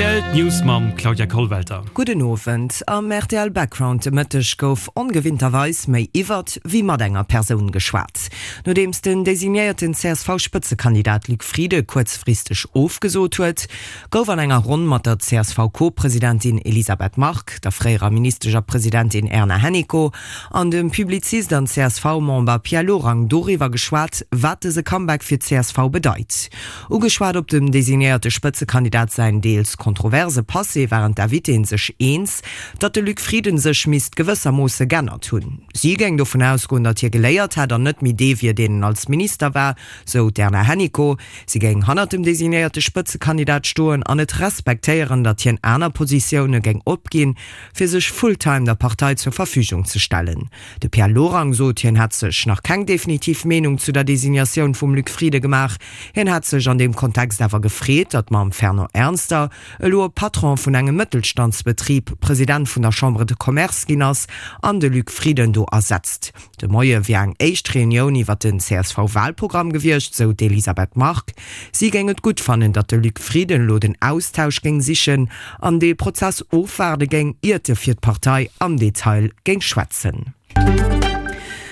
Rtl, D'News mam Claudia Kollwelter. Gudden Owend. Am rtl Background de Mëtteg gouf ongewinnterweis méi iwwert wéi mat enger Persoun geschwat. Nodeems den designéierten CSV-Spëtzekandidat Luc Frieden kuerzfristeg ofgesot huet, gouf an enger Ronn mat der CSV-Co-Presidentin Elisabeth Margue, der fréierer Ministesch a Presidentin Erna Hennicot an dem Publizist an CSV-Member Pierre Lorang doriwwer geschwat, wat dëse Comeback fir d'CSV bedeit. Ugeschwat op dem designéierte Spëtzekandidat säin deels kontroverse Passé waren d'Invitéen sech eens, datt de Luc Frieden sech misst gewëssermoosse g'ännert hunn. Si géing dovun ausgoen, datt hie geléiert hätt an net méi dee wier, deen en als Minister war, sou d'Erna Hennicot. Si géing hannert dem designéierte Spëtzekandidat stoen an et respektéieren, datt hien aner Positioune géing opginn, fir sech full-time der Partei zur Verfügung ze stellen. De Pierre Lorang sot, hien hätt sech nach keng definitiv Meenung zu der Designatioun vum Luc Frieden gemaach. Hien hätt sech an deem Kontext awer gefreet, datt mam Fernand Ernster elo e Patron vun engem Mëttelstandsbetrib President vun der Chambre de Commerce ginn ass an de Luc Frieden do ersetzt. De Moie wier eng éischt Reunioun iwwer den CSV-Walprogramm gewiescht, sou d'Elisabeth Margue. Si géing et gutt fannen, datt de Luc Frieden elo den Austausch géing sichen an dee Prozess ofwaarde géing, iert e fir d'Partei am Detail géing schwätzen.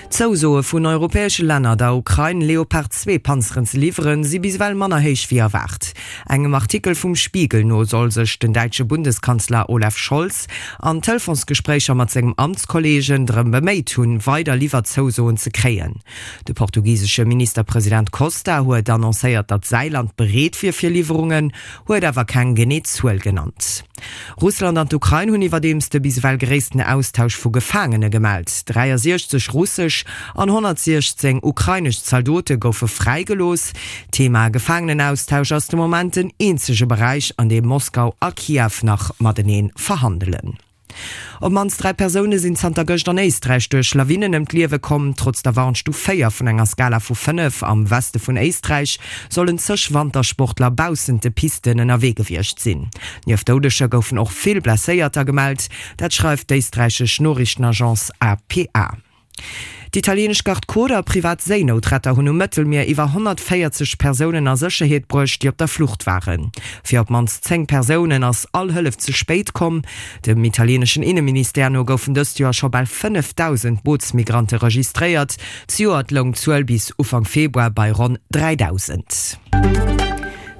D'Zousoe vun europäesche Länner, der Ukrain Leopard 2 Panzeren ze liwweren, si bis ewell manner héich wéi erwaart. Engem Artikel vum Spiegel no soll sech den däitsche Bundeskanzler Olaf Scholz an Telefonsgespréicher mat sengem Amtskolleegen drëm beméit hunn, weider Liwwerzousoen ze kréien. De portugisesche Ministerpresident Costa huet annoncéiert, datt säi Land bereet wier fir Liwwerungen, huet awer keng genee Zuel genannt. Russland an d'Ukrain hunn iwwerdeems de bis ewell gréissten Austausch vu Gefaangene gemellt. 63 russesch an 116 ukrainesch Zaldote goufe fräigelooss. D'Thema Gefaangenenaustausch ass de Moment den eenzege Beräich, an deem Moskau a Kiew nach matenee verhandelen. Op d'mannst 3 Persoune sinn zanter gëscht an Éisträich duerch Lawinen ëm d'Liewe komm. Trotz der Warnstuf 4 vun enger Skala vu 5 am Weste vun Éisträich sollen zeg Wantersportler baussent de Pisten ënnerwee gewiescht sinn. Nieft Doudeger goufen och vill Blesséierter gemellt, dat schreift d'éisträichesch Noriichtenagence APA. D'italieenesch Garde Côte a privat Séinoutretter hunn um Mëttelmier iwwer 140 Persounen a Sécherheet bruecht, déi op der Flucht waren. Fir op d'mannst 10 Persounen ass all Hëllef ze spéit komm. Dem italieeneschen Inneministère no goufen dëst Joer scho bal 5.000 Bootsmigrante registréiert. Zejoert loung d'Zuel bis Ufank Februar bei ronn 3.000.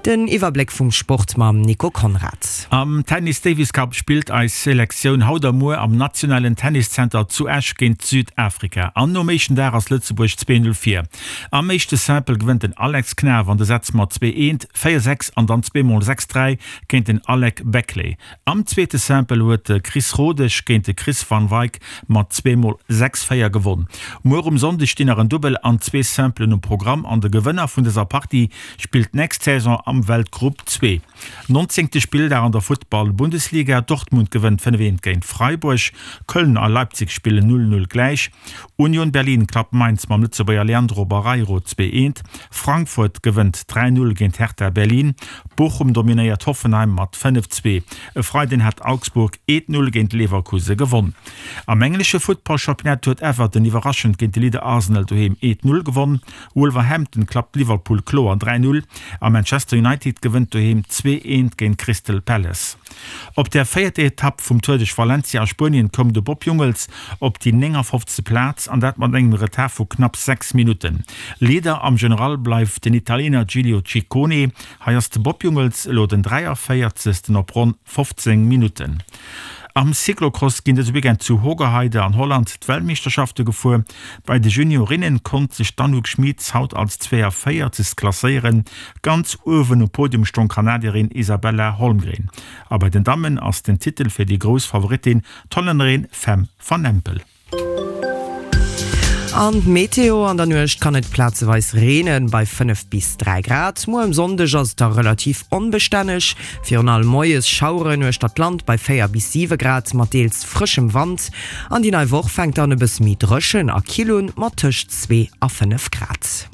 Den Iwwerbléck vum Sport mam Nico Conrad. Am Tennis Davis Cup spillt eis Selektioun haut a muer am nationalen Tenniszenter zu Esch géint Südafrika. An nom éischten Dag ass Lëtzebuerg 2, 0 vir. Am éischte Simple gewënnt den Alex Knaff an de Sätz mat 2, 1, 4, 6 an dann zweemol 6, 3 géint den Alec Beckley. Am zweete Simple huet de Chris Rodesch géint de Chris van Wijk mat zweemol 6, 4 gewonn. Muer um Sonndeg stinn nach en Dubbel an zwee Simplen um Programm an de Gewënner vun dëser Partie spillt d'nächst Saison am Weltgrupp zwee. Nonzéngte Spilldag an der Futtball-Bundesliga, Dortmund gewënnt 5, 1 géint Freiburg, Köln a Leipzig spillen 0, 0 gläich, Union Berlin klappt Mainz mam Lëtzebuerger Leandro Barreiro 2, 1, Frankfurt gewënnt 3, 0 géint Hertha Berlin, Bochum dominéiert Hoffenheim mat 5, 2. E Freiden hat Augsburg 1, 0 géint Leverkuse gewonn. Am englesche Futtballchampionnat huet Everton iwwerraschend géint de Leader Arsenal doheem 1, 0 gewonn. Wolverhampton klappt Liverpool kloer 3, 0 a Manchester United gewënnt doheem 2, 1 géint Crystal Palace. Op der véierter Etapp vum Tour duerch Valencia a Spuenien koum de Bob Jungels op déi 59. Plaz an dat mat engem Retard vu knapp 6 Minutten. Leader am General bleift den Italiener Giulio Ciccone. Hei ass de Bob Jungels elo den 43. op ronn 15 Minutten. Am Cyclocross ginn dëse Weekend zu Hoogerheide an Holland d'Weltmeeschterschafte gefuer. Bei de Juniorinnen konnt sech d'Anouk Schmitz haut als 42. Klasséieren. Ganz uewen um Podium stong Kanadierin Isabella Holmgren. A bei den Dammen ass den Titel fir déi grouss Favoritin, d'Hollännerin Fem van Empel. An d'Meteo, An der Nuecht kann et plazeweis reenen, bei 5 bis 3 Grad. Muer um Sonndeg ass et da relativ onbestänneg, virun allem moies Schaueren uechter d'Land bei 4 bis 7 Grad mat deels frëschem Wand. An déi nei Woch fänkt dann e bësse méi dréchen a kill un, mat tëscht 2 a 5 Grad.